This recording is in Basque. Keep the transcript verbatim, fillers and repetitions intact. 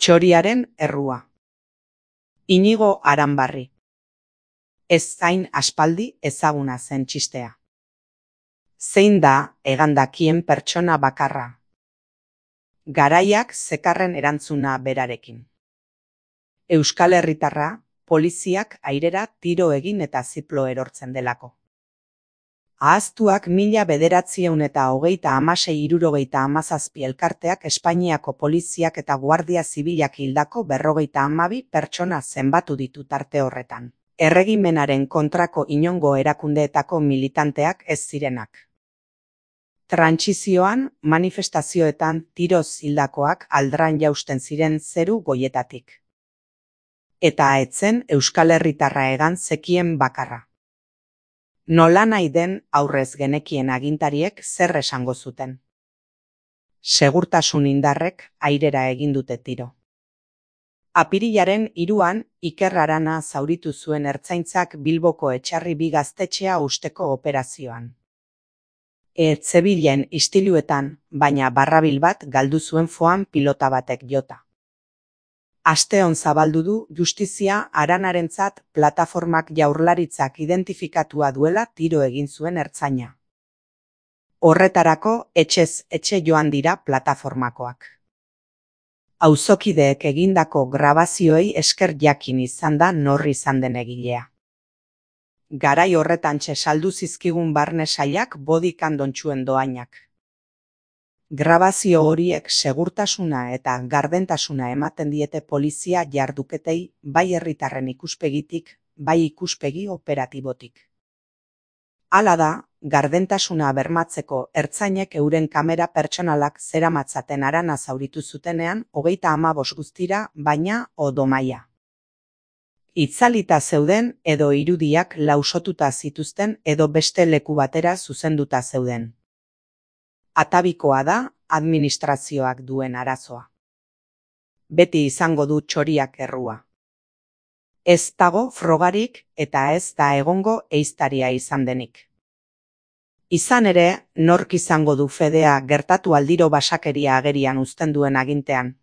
Txoriaren errua. Inigo Aranbarri. Ez zain aspaldi ezaguna zen txistea. Zein da egandakien pertsona bakarra? Garaiak zekarren erantzuna berarekin. Euskal Herritarra, poliziak airera tiro egin eta ziplo erortzen delako. Ahaztuak mila bederatziehun eta hogeita hamasei hirurogeita hamazazpi elkarteak Espainiako poliziak eta Guardia Zibilak hildako berrogeita hamabi pertsona zenbatu ditu tarte horretan. Erregimenaren kontrako inongo erakundeetako militanteak ez zirenak. Trantsizioan, manifestazioetan tiroz hildakoak aldran jausten ziren zeru goietatik. Eta etzen Euskal Herritarra egan zekien bakarra. Nolanahi den aurrez genekien agintariek zer esango zuten. Segurtasun indarrek airera egin dute tiro. Apirilaren hiruan Iker Arana zauritu zuen Ertzaintzak Bilboko Etxarri bi gaztetxea usteko operazioan. Ez zebilen istiluetan, baina barrabil bat galdu zuen foan pilota batek jota. Asteon zabaldu du justizia Aranarentzat plataformak Jaurlaritzak identifikatua duela tiro egin zuen ertzaina. Horretarako etxez etxe joan dira plataformakoak. Auzokideek egindako grabazioei esker jakin izan da nor izan den egilea. Garai horretantxe saldu zizkigun barne sailak body kandontxuen doainak. Grabazio horiek segurtasuna eta gardentasuna ematen diete polizia jarduketei bai herritarren ikuspegitik, bai ikuspegi operatibotik. Hala da, gardentasuna bermatzeko ertzainek euren kamera pertsonalak zeramatzaten Arana zauritu zutenean hogeita hamabost guztira, baina odomaia. Itzalita zeuden edo irudiak lausotuta zituzten edo beste leku batera zuzenduta zeuden. Atabikoa da administrazioak duen arazoa. Beti izango du txoriak errua. Ez dago frogarik eta ez da egongo ehiztaria izan denik. Izan ere, nork izango du fedea gertatu aldiro basakeria agerian uzten duen agintean.